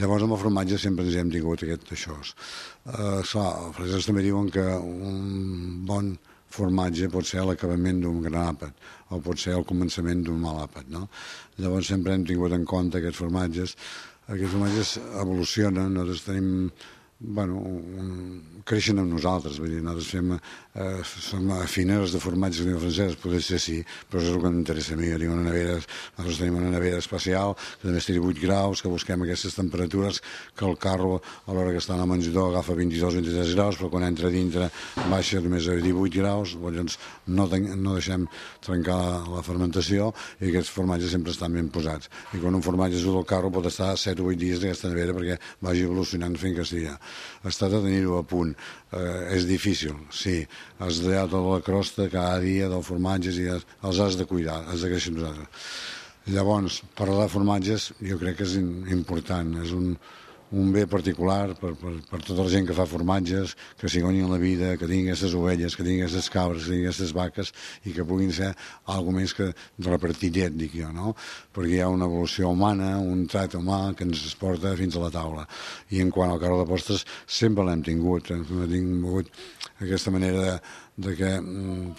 F: Llavors amb el formatge sempre ens hem tingut això. Els francesos també diuen que un bon formatge pot ser l'acabament d'un gran àpat o pot ser el començament d'un mal àpat, no? Llavors sempre hem tingut en compte aquests formatges evolucionen, nosaltres tenim creixen amb nosaltres, vull dir, nosaltres som afiners de formatges de franceses, potser ser sí, però és el que m'interessa a mi. Nosaltres tenim una nevera especial que també estigui 8 graus, que busquem aquestes temperatures, que el carro a l'hora que està en el menjador agafa 22-23 graus, però quan entra dintre baixa només a 18 graus, llavors no deixem trencar la fermentació i aquests formatges sempre estan ben posats. I quan un formatge surt del carro pot estar 7 o 8 dies d'aquesta nevera perquè vagi evolucionant fins que estigui. Es tracta de tenir-ho a punt. És difícil, sí. Has de tota la crosta cada dia dels formatges i els has de cuidar, has de créixer nosaltres. Llavors, parlar de formatges jo crec que és important. És un bé particular per tota la gent que fa formatges, que s'hi guanyin la vida, que tinguin aquestes ovelles, que tinguin aquestes cabres, que tinguin aquestes vaques i que puguin ser alguna més que de repartir llet, dic jo, no? Perquè hi ha una evolució humana, un tracte humà que ens porta fins a la taula. I en quant al carro de postres, sempre l'hem tingut. Hem tingut aquesta manera de que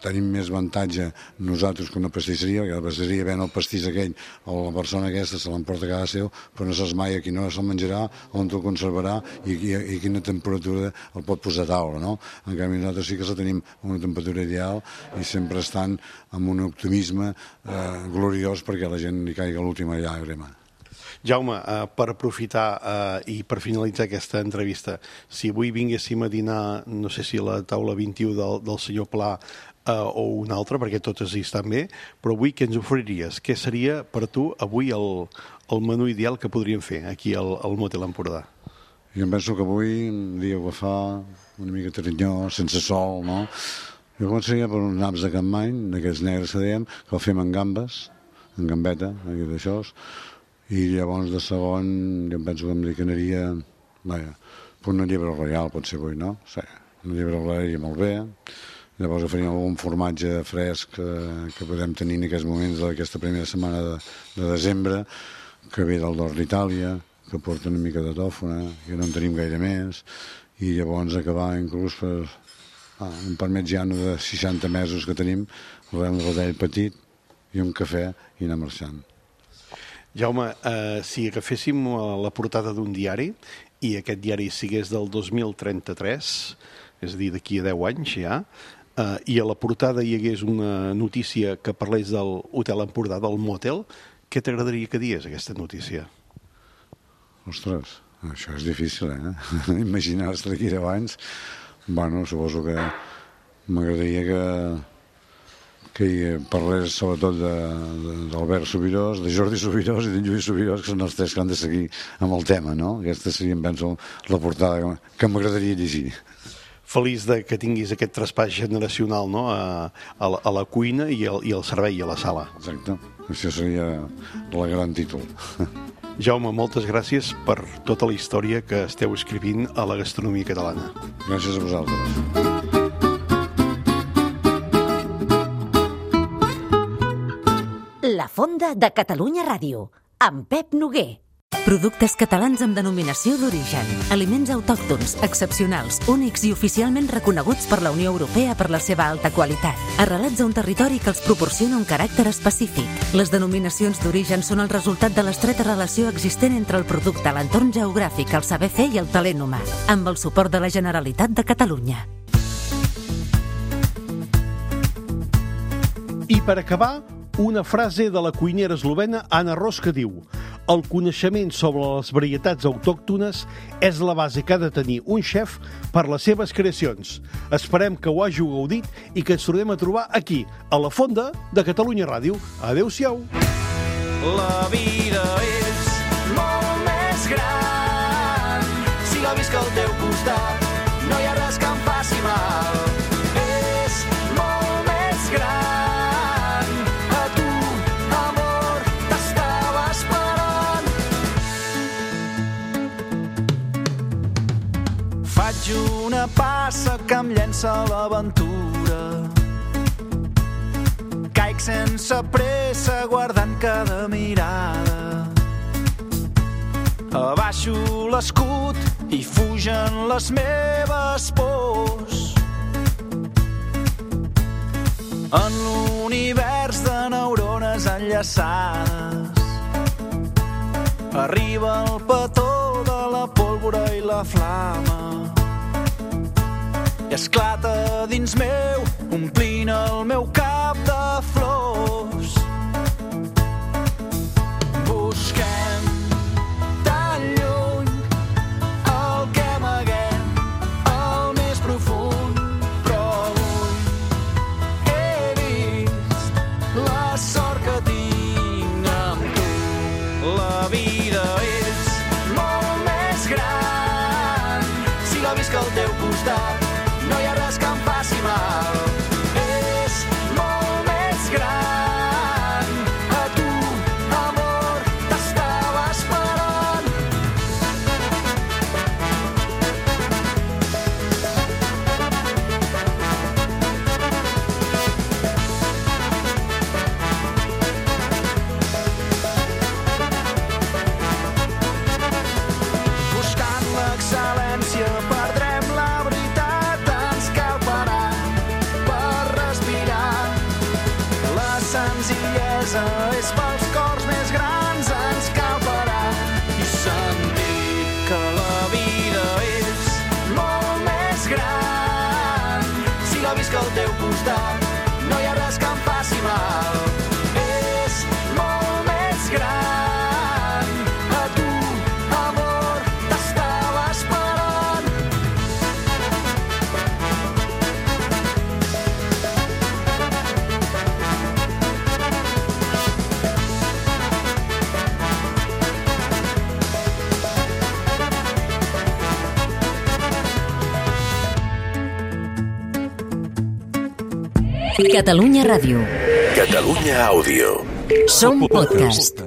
F: tenim més avantatge nosaltres que una pastisseria, perquè la pastisseria ven el pastís aquell o la persona aquesta se l'emporta a casa seu, però no saps mai a qui no se'l menjarà, on te'l conservarà i quina temperatura el pot posar a taula, no? En canvi nosaltres sí que la tenim a una temperatura ideal i sempre estan amb un optimisme gloriós perquè a la gent li caiga l'última llàgrima.
C: Jaume, per aprofitar i per finalitzar aquesta entrevista, si avui vinguéssim a dinar, no sé si a la taula 21 del senyor Pla o una altra, perquè totes hi estan bé, però avui què ens oferiries? Què seria per tu avui el menú ideal que podríem fer aquí al Motel Empordà?
F: Jo em penso que avui un dia agafar una mica tarinyó, sense sol, no? Jo començaria per uns naps de Capmany, d'aquests negres que dèiem, que el fem en gambes, en gambeta, d'això, i llavors de segon jo em penso que em decanaria una llebre royal potser avui, no? Sí, una llebre royal iria molt bé. Llavors faríem algun formatge fresc que podem tenir en aquests moments d'aquesta primera setmana de desembre, que ve del nord d'Itàlia, que porta una mica de tòfona, que no en tenim gaire més, i llavors acabar inclús per un parmet giano de 60 mesos que tenim, un rodell petit i un cafè i anar marxant.
C: Jaume, si agaféssim la portada d'un diari i aquest diari sigués del 2033, és a dir, d'aquí a 10 anys ja, i a la portada hi hagués una notícia que parlés del Hotel Empordà, del motel, què t'agradaria que digués aquesta notícia?
F: Ostres, això és difícil, imaginar-se d'aquí a 10 anys. Bueno, suposo que m'agradaria que hi parlés sobretot d'Albert Subirós, de Jordi Subirós i de Lluís Subirós, que són els tres que han de seguir amb el tema, no? Aquesta seria, em penso, la portada que m'agradaria llegir.
C: Feliç que tinguis aquest traspàs generacional, no?, a la cuina i al servei, a la sala.
F: Exacte, això seria el gran títol.
C: Jaume, moltes gràcies per tota la història que esteu escrivint a la gastronomia catalana.
F: Gràcies a vosaltres.
A: La Fonda de Catalunya Ràdio, amb Pep Noguer. Productes catalans amb denominació d'origen, aliments autòctons, excepcionals, únics i oficialment reconeguts per la Unió Europea per la seva alta qualitat, arrelats a un territori que els proporciona un caràcter específic. Les denominacions d'origen són el resultat de l'estreta relació existent entre el producte, l'entorn geogràfic, el saber fer i el talent humà, amb el suport de la Generalitat de Catalunya.
C: I per acabar, una frase de la cuinera eslovena Anna Ros que diu: el coneixement sobre les varietats autòctones és la base que ha de tenir un xef per les seves creacions. Esperem que ho hàgiu gaudit i que ens tornem a trobar aquí, a la Fonda de Catalunya Ràdio. Adéu-siau.
D: La vida és molt més gran si la visc al teu costat. No hi ha res que em faci mal. És molt més gran. Faig una passa que em llença a l'aventura. Caic sense pressa guardant cada mirada. Abaixo l'escut i fugen les meves pors. En l'univers de neurones enllaçades arriba el petó de la pólvora i la flama i esclata dins meu, omplint el meu cap de flors. Busquem tan lluny el que amaguem al més profund, però avui he vist la sort que tinc amb tu. La vida és molt més gran si la visc al teu costat. No hi ha res que em faci mal. És molt més gran. A tu, amor, t'estava esperant. que al teu costat no hi ha res que em faci mal. És molt més gran. A tu, amor, t'estava esperant.
A: Catalunya Ràdio.
G: Catalunya Àudio.
A: Som podcast.